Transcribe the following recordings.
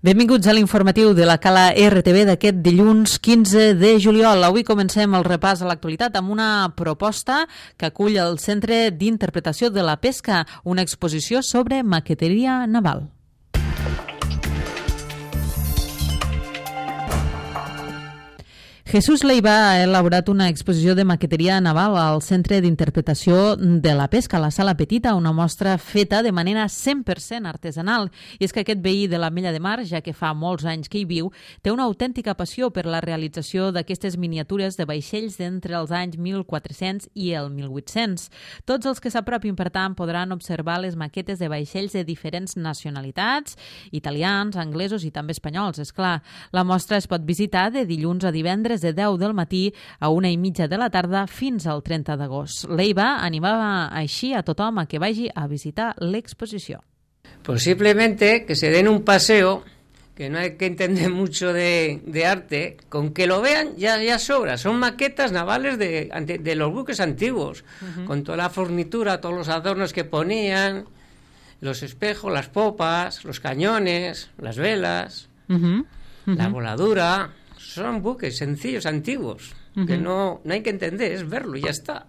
Benvinguts a l'informatiu de la Cala RTV d'aquest dilluns 15 de juliol. Avui comencem el repàs a l'actualitat amb una proposta que acull el Centre d'Interpretació de la Pesca, una exposició sobre maqueteria naval. Jesús Leiva ha elaborat una exposició de maqueteria naval al Centre d'Interpretació de la Pesca, a la Sala Petita, una mostra feta de manera 100% artesanal. I és que aquest veí de l'Ametlla de Mar, ja que fa molts anys que hi viu, té una autèntica passió per la realització d'aquestes miniatures de vaixells d'entre els anys 1400 i el 1800. Tots els que s'apropin, per tant, podran observar les maquetes de vaixells de diferents nacionalitats, italians, anglesos i també espanyols, és clar. La mostra es pot visitar de dilluns a divendres de 10 del matí a 1:30 de la tarda fins al 30 d'agost. Leiva animava així a tothom a que vagi a visitar l'exposició. Posiblemente que se den un paseo, que no hay que entender mucho de arte, con que lo vean ya sobra. Son maquetas navales de los buques antiguos, con toda la fornitura, todos los adornos que ponían, los espejos, las popas, los cañones, las velas, la voladura. Son buques sencillos, antiguos, que no hay que entender, es verlo y ya está.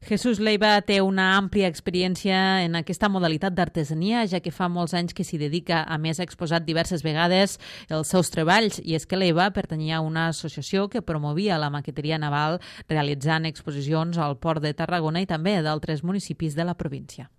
Jesús Leiva té una àmplia experiència en aquesta modalitat d'artesania, ja que fa molts anys que s'hi dedica. A més, ha exposat diverses vegades els seus treballs, i és que Leiva pertanyia a una associació que promovia la maqueteria naval, realitzant exposicions al Port de Tarragona i també d'altres municipis de la província.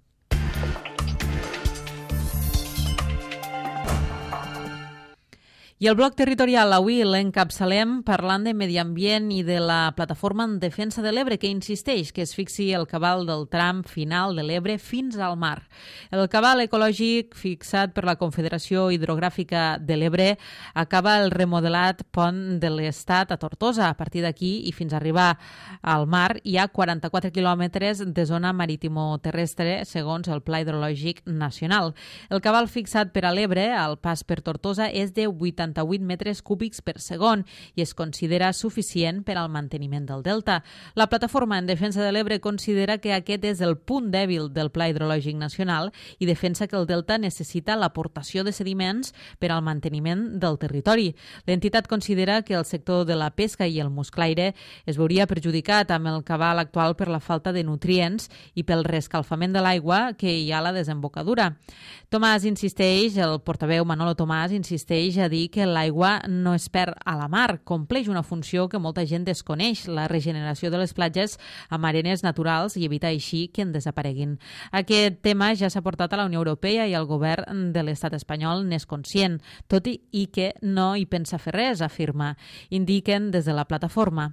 I el bloc territorial avui l'encapçalem parlant de medi ambient i de la plataforma en defensa de l'Ebre, que insisteix que es fixi el cabal del tram final de l'Ebre fins al mar. El cabal ecològic fixat per la Confederació Hidrogràfica de l'Ebre acaba el remodelat pont de l'Estat a Tortosa. A partir d'aquí i fins a arribar al mar hi ha 44 quilòmetres de zona marítimo-terrestre segons el Pla Hidrològic Nacional. El cabal fixat per a l'Ebre al pas per Tortosa és de 88 metres cúbics per segon i es considera suficient per al manteniment del delta. La plataforma en defensa de l'Ebre considera que aquest és el punt dèbil del Pla Hidrològic Nacional i defensa que el delta necessita l'aportació de sediments per al manteniment del territori. L'entitat considera que el sector de la pesca i el musclaire es veuria perjudicat amb el cabal actual per la falta de nutrients i pel reescalfament de l'aigua que hi ha a la desembocadura. El portaveu Manolo Tomàs insisteix a dir que l'aigua no es perd a la mar, compleix una funció que molta gent desconeix, la regeneració de les platges amb arenes naturals i evitar així que en desapareguin. Aquest tema ja s'ha portat a la Unió Europea i el govern de l'estat espanyol n'és conscient, tot i que no hi pensa fer res, afirma. Indiquen des de la plataforma.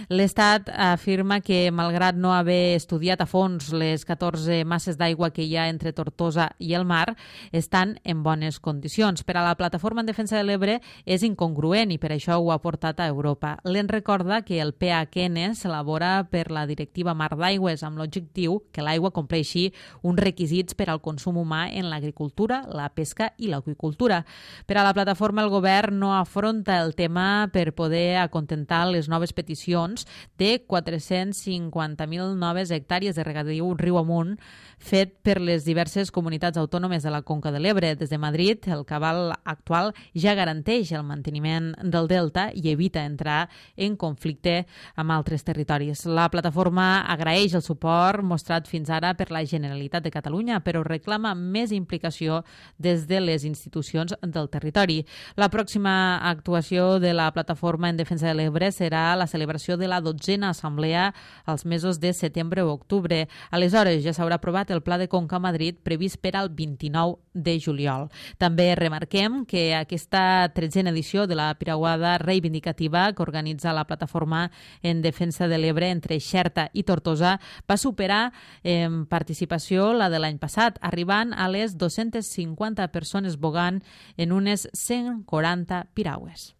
L'estat afirma que, malgrat no haver estudiat a fons les 14 masses d'aigua que hi ha entre Tortosa i el mar, estan en bones condicions. Per a la plataforma en defensa de l'Ebre és incongruent i per això ho ha portat a Europa. L'en recorda que el PHN s'elabora per la Directiva Mar d'Aigües amb l'objectiu que l'aigua compleixi uns requisits per al consum humà en l'agricultura, la pesca i l'aqüicultura. Per a la plataforma, el govern no afronta el tema per poder acontentar les noves peticions de 450.000 noves hectàrees de regadiu riu amunt fet per les diverses comunitats autònomes de la Conca de l'Ebre. Des de Madrid, el cabal actual ja garanteix el manteniment del delta i evita entrar en conflicte amb altres territoris. La plataforma agraeix el suport mostrat fins ara per la Generalitat de Catalunya, però reclama més implicació des de les institucions del territori. La pròxima actuació de la plataforma en defensa de l'Ebre serà la celebració de la 12a assemblea als mesos de setembre o octubre. Aleshores ja s'haurà aprovat el Pla de Conca a Madrid previst per al 29 de juliol. També remarquem que aquesta 13a edició de la Piraguada Reivindicativa que organitza la plataforma en defensa de l'Ebre entre Xerta i Tortosa va superar en participació la de l'any passat, arribant a les 250 persones bogant en unes 140 piragües.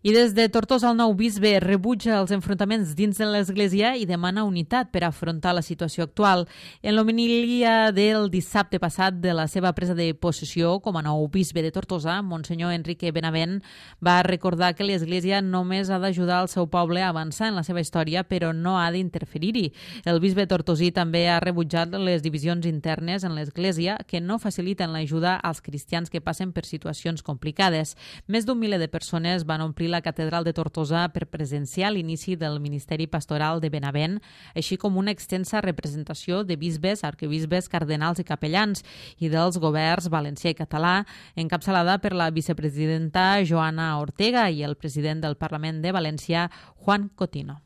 I des de Tortosa el nou bisbe rebutja els enfrontaments dins de l'Església i demana unitat per afrontar la situació actual. En l'homilia del dissabte passat de la seva presa de possessió com a nou bisbe de Tortosa, Monsenyor Enrique Benavent va recordar que l'Església només ha d'ajudar el seu poble a avançar en la seva història, però no ha d'interferir-hi. El bisbe tortosí també ha rebutjat les divisions internes en l'Església que no faciliten l'ajuda als cristians que passen per situacions complicades. Més d'un miler de persones van omplir la catedral de Tortosa per presenciar l'inici del ministeri pastoral de Benavent, així com una extensa representació de bisbes, arquebisbes, cardenals i capellans i dels governs valencià i català, encapçalada per la vicepresidenta Joana Ortega i el president del Parlament de València, Juan Cotino.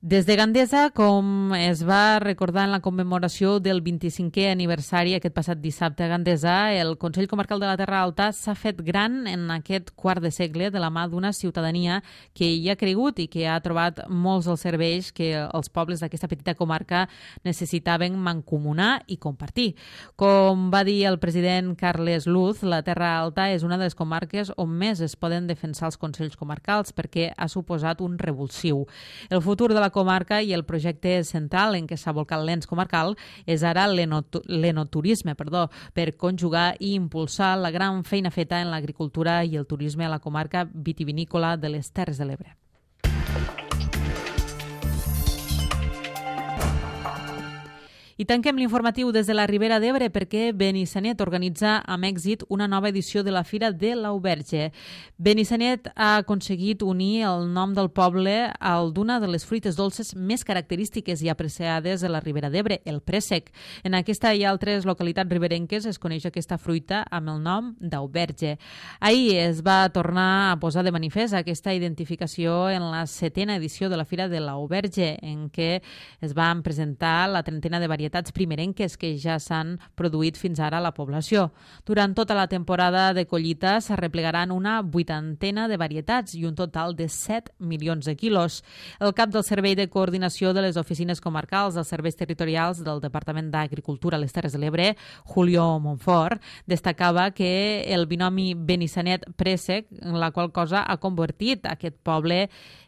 Des de Gandesa, com es va recordar en la commemoració del 25è aniversari aquest passat dissabte a Gandesa, el Consell Comarcal de la Terra Alta s'ha fet gran en aquest quart de segle de la mà d'una ciutadania que hi ha cregut i que ha trobat molts dels serveis que els pobles d'aquesta petita comarca necessitaven mancomunar i compartir. Com va dir el president Carles Luz, la Terra Alta és una de les comarques on més es poden defensar els consells comarcals perquè ha suposat un revulsiu. El futur de la comarca i el projecte central en què s'ha volcat l'ens comarcal és ara l'enoturisme, per conjugar i impulsar la gran feina feta en l'agricultura i el turisme a la comarca vitivinícola de les Terres de l'Ebre. I tanquem l'informatiu des de la Ribera d'Ebre perquè Benissanet organitza amb èxit una nova edició de la Fira de l'Auberge. Benissanet ha aconseguit unir el nom del poble al d'una de les fruites dolces més característiques i apreciades de la Ribera d'Ebre, el préssec. En aquesta i altres localitats riberenques es coneix aquesta fruita amb el nom d'auberge. Ahir es va tornar a posar de manifest aquesta identificació en la 7ª edició de la Fira de l'Auberge, en què es van presentar la trentena de varietats primerenques que ja s'han produït fins ara a la població. Durant tota la temporada de collita s'arreplegaran una 80ena de varietats i un total de 7 milions de quilos. El cap del Servei de Coordinació de les Oficines Comarcals dels Serveis Territorials del Departament d'Agricultura a les Terres de l'Ebre, Julio Monfort, destacava que el binomi Benissanet-Préssec, la qual cosa ha convertit aquest poble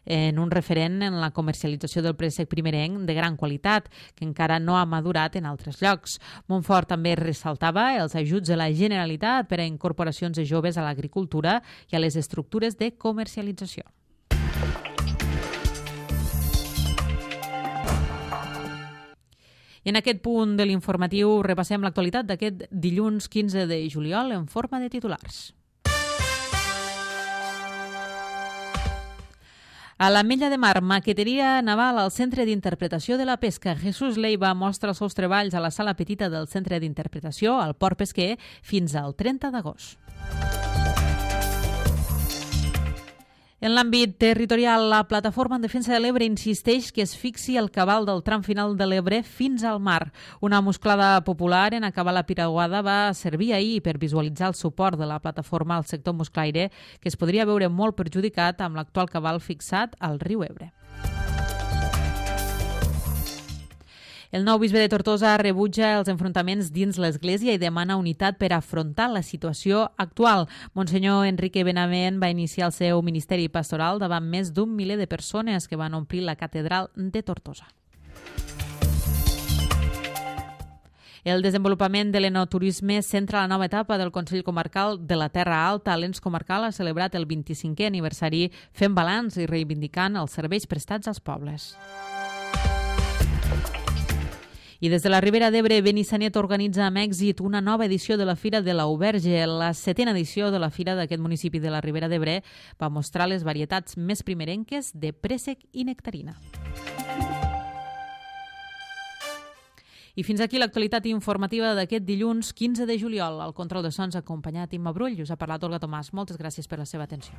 en un referent en la comercialització del préssec primerenc de gran qualitat, que encara no ha madurat en altres llocs. Monfort també ressaltava els ajuts de la Generalitat per a incorporacions de joves a l'agricultura i a les estructures de comercialització. I en aquest punt de l'informatiu repassem l'actualitat d'aquest dilluns 15 de juliol en forma de titulars. A l'Ametlla de Mar, maqueteria naval al Centre d'Interpretació de la Pesca. Jesús Leiva mostra els seus treballs a la sala petita del Centre d'Interpretació al Port Pesquer fins al 30 d'agost. En l'àmbit territorial, la Plataforma en Defensa de l'Ebre insisteix que es fixi el cabal del tram final de l'Ebre fins al mar. Una musclada popular en acabar la piraguada va servir ahir per visualitzar el suport de la plataforma al sector musclaire, que es podria veure molt perjudicat amb l'actual cabal fixat al riu Ebre. El nou bisbe de Tortosa rebutja els enfrontaments dins l'Església i demana unitat per afrontar la situació actual. Monsenyor Enrique Benavent va iniciar el seu ministeri pastoral davant més d'un miler de persones que van omplir la catedral de Tortosa. El desenvolupament de l'enoturisme centra la nova etapa del Consell Comarcal de la Terra Alta. L'ens comarcal ha celebrat el 25è aniversari fent balanç i reivindicant els serveis prestats als pobles. I des de la Ribera d'Ebre, Benissanet organitza amb èxit una nova edició de la Fira de l'Auberge. La 7ª edició de la Fira d'aquest municipi de la Ribera d'Ebre va mostrar les varietats més primerenques de préssec i nectarina. I fins aquí l'actualitat informativa d'aquest dilluns 15 de juliol. Al control de sons ha acompanyat Imma Brull i us ha parlat Olga Tomàs. Moltes gràcies per la seva atenció.